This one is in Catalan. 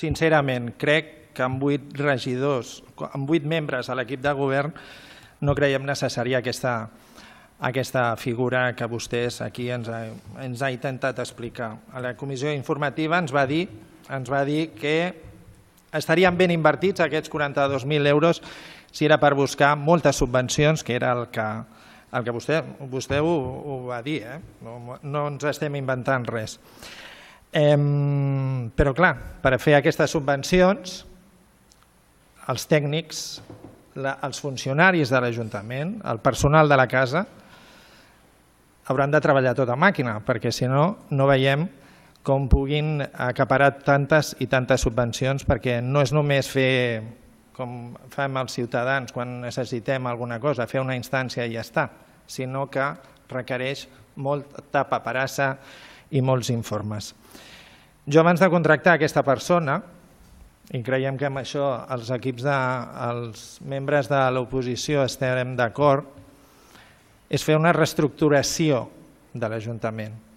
sincerament, crec que amb 8 regidors, amb 8 membres a l'equip de govern, no creiem necessària aquesta figura que vostès aquí ens ha intentat explicar. A la comissió informativa ens va dir que estarien ben invertits aquests 42.000 euros si era per buscar moltes subvencions, que era el que vostè ho va dir, no ens estem inventant res. Però clar, per fer aquestes subvencions, els tècnics, els funcionaris de l'Ajuntament, el personal de la casa, hauran de treballar tota màquina, perquè si no, no veiem com puguin acaparar tantes i tantes subvencions, perquè no és només fer, com fem els ciutadans quan necessitem alguna cosa, fer una instància i ja està, sinó que requereix molta paperassa i molts informes. Jo abans de contractar aquesta persona, i creiem que amb això els membres de l'oposició estarem d'acord, és fer una reestructuració de l'Ajuntament.